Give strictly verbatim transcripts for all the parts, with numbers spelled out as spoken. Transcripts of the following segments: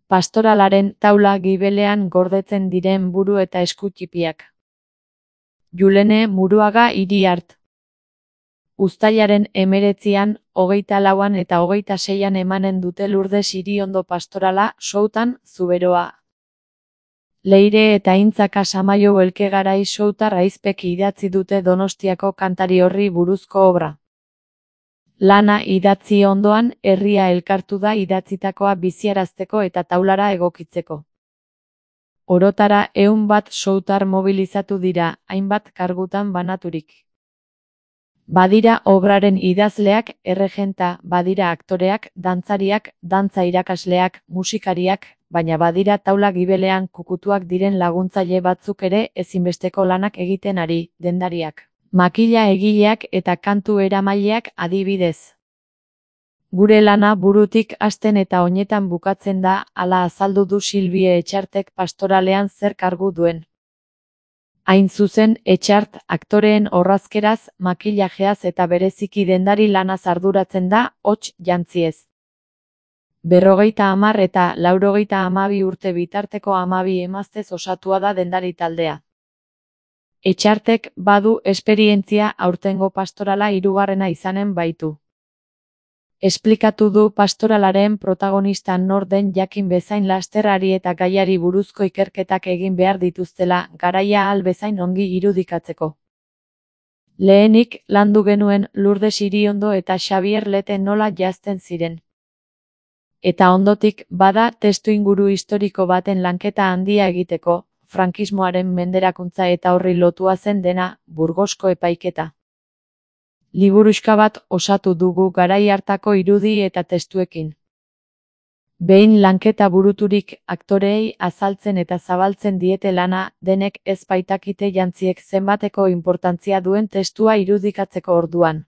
Pastoralaren taula gibelean gordetzen diren buru eta esku ttipiak. Julene Muruaga Iriart. Uztailaren hemeretzian, hogeita lauan eta hogeita seian emanen dute Lurdes Iriondo pastorala, Soutan, Zuberoa. Leire eta Intzaka Samaio Elkegarai soutar ahizpek idatzi dute Donostiako kantari horri buruzko obra. Lana idatzi ondoan, herria elkartu da idatzitakoa biziarazteko eta taulara egokitzeko. Orotara ehun bat soutar mobilizatu dira, hainbat kargutan banaturik. Badira obraren idazleak, erregenta, badira aktoreak, dantzariak, dantza irakasleak, musikariak, baina badira taula gibelean kukutuak diren laguntzaile batzuk ere ezinbesteko lanak egiten ari, dendariak, makila egileak eta kantu eramaileak adibidez. Gure lana burutik hasten eta oinetan bukatzen da, hala azaldu du Silvie Etxartek pastoralean zer kargu duen. Hain zuzen, Etxart, aktoreen orrazkeraz, makillajeaz eta bereziki dendari lanaz arduratzen da, hots jantziez. Berrogeita hamar eta laurogeita hamabi urte bitarteko hamabi emaztez osatua da dendari taldea. Etxartek badu esperientzia aurtengo pastorala hirugarrena izanen baitu. Esplikatu du pastoralaren protagonista nor den jakin bezain lasterrari eta gaiari buruzko ikerketak egin behar dituztela, garaia ahal bezain ongi irudikatzeko. Lehenik, landu genuen Lurdes Iriondo eta Xabier Lete nola jazten ziren. Eta ondotik, bada testuinguru historiko baten lanketa handia egiteko, frankismoaren menderakuntza eta horri lotua zen dena, Burgosko epaiketa. Liburuxka bat osatu dugu garai hartako irudi eta testuekin. Behin lanketa buruturik, aktoreei azaltzen eta zabaltzen diete lana, denek ez baitakite jantziek zenbateko inportantzia duen testua irudikatzeko orduan.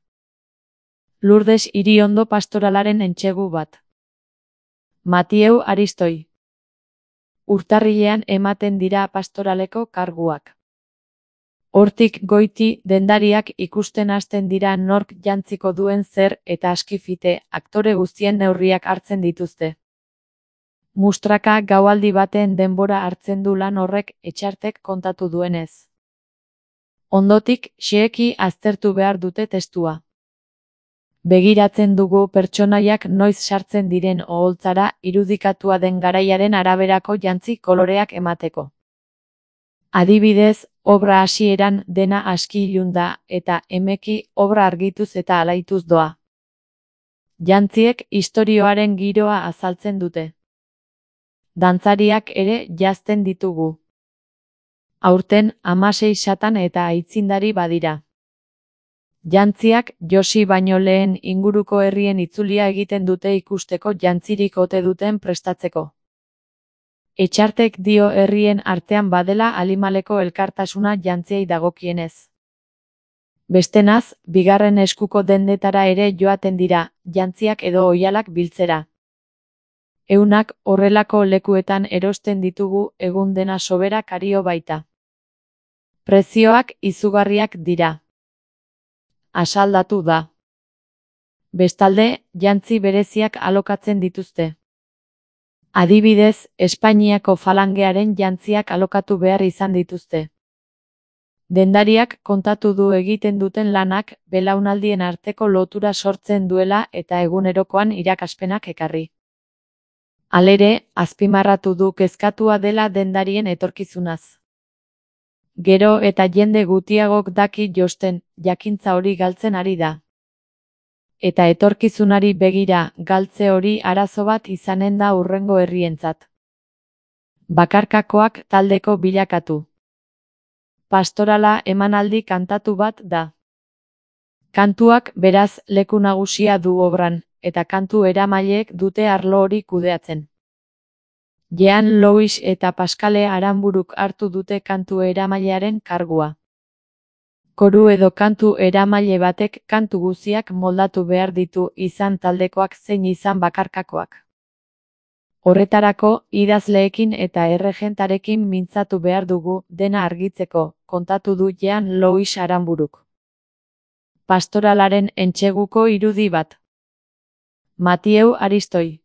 Lurdes Iriondo pastoralaren entsegu bat. Matieu Aristoi. Urtarrilean ematen dira pastoraleko karguak. Hortik goiti, dendariak ikusten hasten dira nork jantziko duen zer eta askifite, aktore guztien neurriak hartzen dituzte. Mustraka gaualdi baten denbora hartzen du lan horrek Etxartek kontatu duenez. Ondotik, xeheki aztertu behar dute testua. Begiratzen dugu pertsonaiak noiz sartzen diren oholtzara irudikatua den garaiaren araberako jantzi koloreak emateko. Adibidez, obra hasieran dena aski ilun da, eta emeki obra argituz eta alaituz doa. Jantziek istorioaren giroa azaltzen dute. Dantzariak ere jazten ditugu. Aurten hamasei satan eta aitzindari badira. Jantziak josi baino lehen inguruko herrien itzulia egiten dute ikusteko jantzirik ote duten prestatzeko. Etxartek dio herrien artean badela alimaleko elkartasuna jantziei dagokienez. Bestenaz, bigarren eskuko dendetara ere joaten dira, jantziak edo oihalak biltzera. Eunak horrelako lekuetan erosten ditugu egun dena sobera kario baita. Prezioak izugarriak dira. Asaldatu da. Bestalde, jantzi bereziak alokatzen dituzte. Adibidez, Espainiako falangearen jantziak alokatu behar izan dituzte. Dendariak kontatu du egiten duten lanak belaunaldien arteko lotura sortzen duela eta egunerokoan irakaspenak ekarri. Halere, azpimarratu du kezkatua dela dendarien etorkizunaz. Gero eta jende gutiagok daki josten, jakintza hori galtzen ari da. Eta etorkizunari begira, galtze hori arazo bat izanen da hurrengo herrientzat. Bakarkakoak taldeko bilakatu. Pastorala emanaldi kantatu bat da. Kantuak beraz leku nagusia du obran, eta kantu eramaileek dute arlo hori kudeatzen. Jean Louis eta Paskale Aranburuk hartu dute kantu eramailearen kargua. Koru edo kantu eramaile batek kantu guziak moldatu behar ditu izan taldekoak zein izan bakarkakoak. Horretarako, idazleekin eta erregentarekin mintzatu behar dugu dena argitzeko, kontatu du Jean Louis Aranburuk. Pastoralaren entseguko irudi bat. Matieu Aristoi.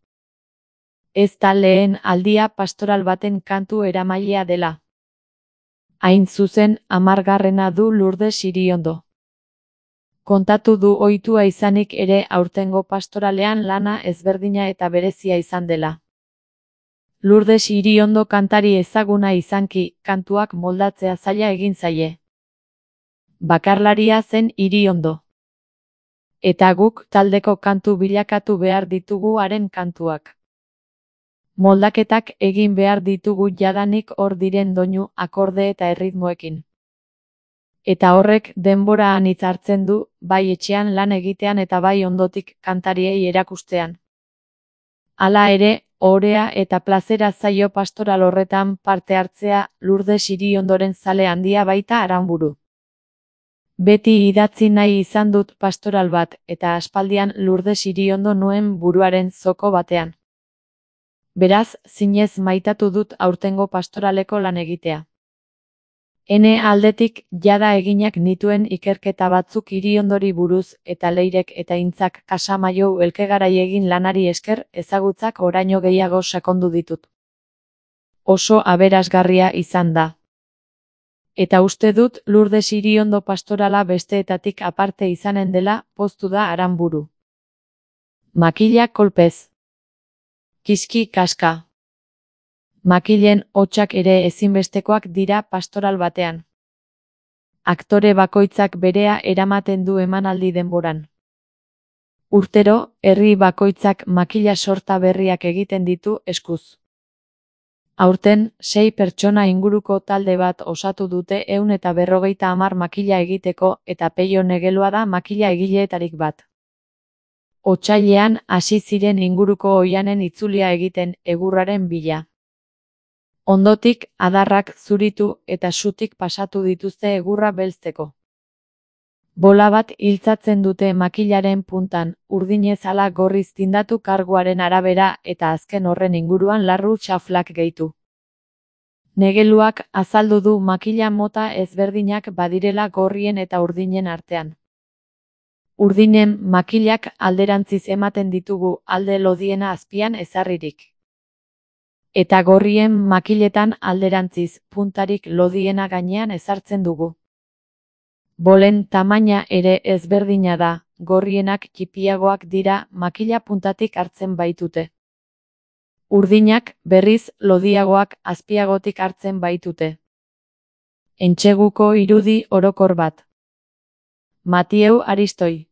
Ez da lehen aldia pastoral baten kantu eramailea dela. Hain zuzen, hamargarrena du Lurdes Iriondo. Kontatu du ohitua izanik ere aurtengo pastoralean lana ezberdina eta berezia izan dela. Lurdes Iriondo kantari ezaguna izanki, kantuak moldatzea zaila egin zaie. Bakarlaria zen Iriondo. Eta guk taldeko kantu bilakatu behar ditugu haren kantuak. Moldaketak egin behar ditugu jadanik hor diren doinu, akorde eta erritmoekin. Eta horrek denbora anitz hartzen du, bai etxean lan egitean eta bai ondotik kantariei erakustean. Hala ere, ohorea eta plazera zaio pastoral horretan parte hartzea, Lurdes Iriondoren zale handia baita Aranburu. Beti idatzi nahi izan dut pastoral bat, eta aspaldian Lurdes Iriondo nuen buruaren zoko batean. Beraz, zinez maitatu dut aurtengo pastoraleko lan egitea. Ene aldetik, jada eginak nituen ikerketa batzuk Iriondori buruz eta Leirek eta Intzak Kasamaiou elkegarai egin lanari esker ezagutzak oraino gehiago sakondu ditut. Oso aberasgarria izan da. Eta uste dut Lurdes Iriondo pastorala besteetatik aparte izanen dela, poztu da Aranburu. Makila kolpez. Kiski kaska. Makilen hotsak ere ezinbestekoak dira pastoral batean. Aktore bakoitzak berea eramaten du emanaldi denboran. Urtero, herri bakoitzak makila sorta berriak egiten ditu eskuz. Aurten, sei pertsona inguruko talde bat osatu dute ehun eta berrogeita hamar makila egiteko eta Peio Negelua da makila egileetarik bat. Otsailean hasi ziren inguruko oihanen itzulia egiten egurraren bila. Ondotik, adarrak zuritu eta sutik pasatu dituzte egurra belzteko. Bola bat iltzatzen dute makilaren puntan, urdinez ala gorriz tindatu karguaren arabera eta azken horren inguruan larru xaflak gehitu. Negeluak azaldu du makila mota ezberdinak badirela gorrien eta urdinen artean. Urdinen makilak alderantziz ematen ditugu alde lodiena azpian ezarririk. Eta gorrien makiletan alderantziz, puntarik lodiena gainean ezartzen dugu. Bolen tamaina ere ezberdina da, gorrienak txipiagoak dira makila puntatik hartzen baitute. Urdinak, berriz, lodiagoak azpiagotik hartzen baitute. Entseguko irudi orokor bat. Matieu Aristoi.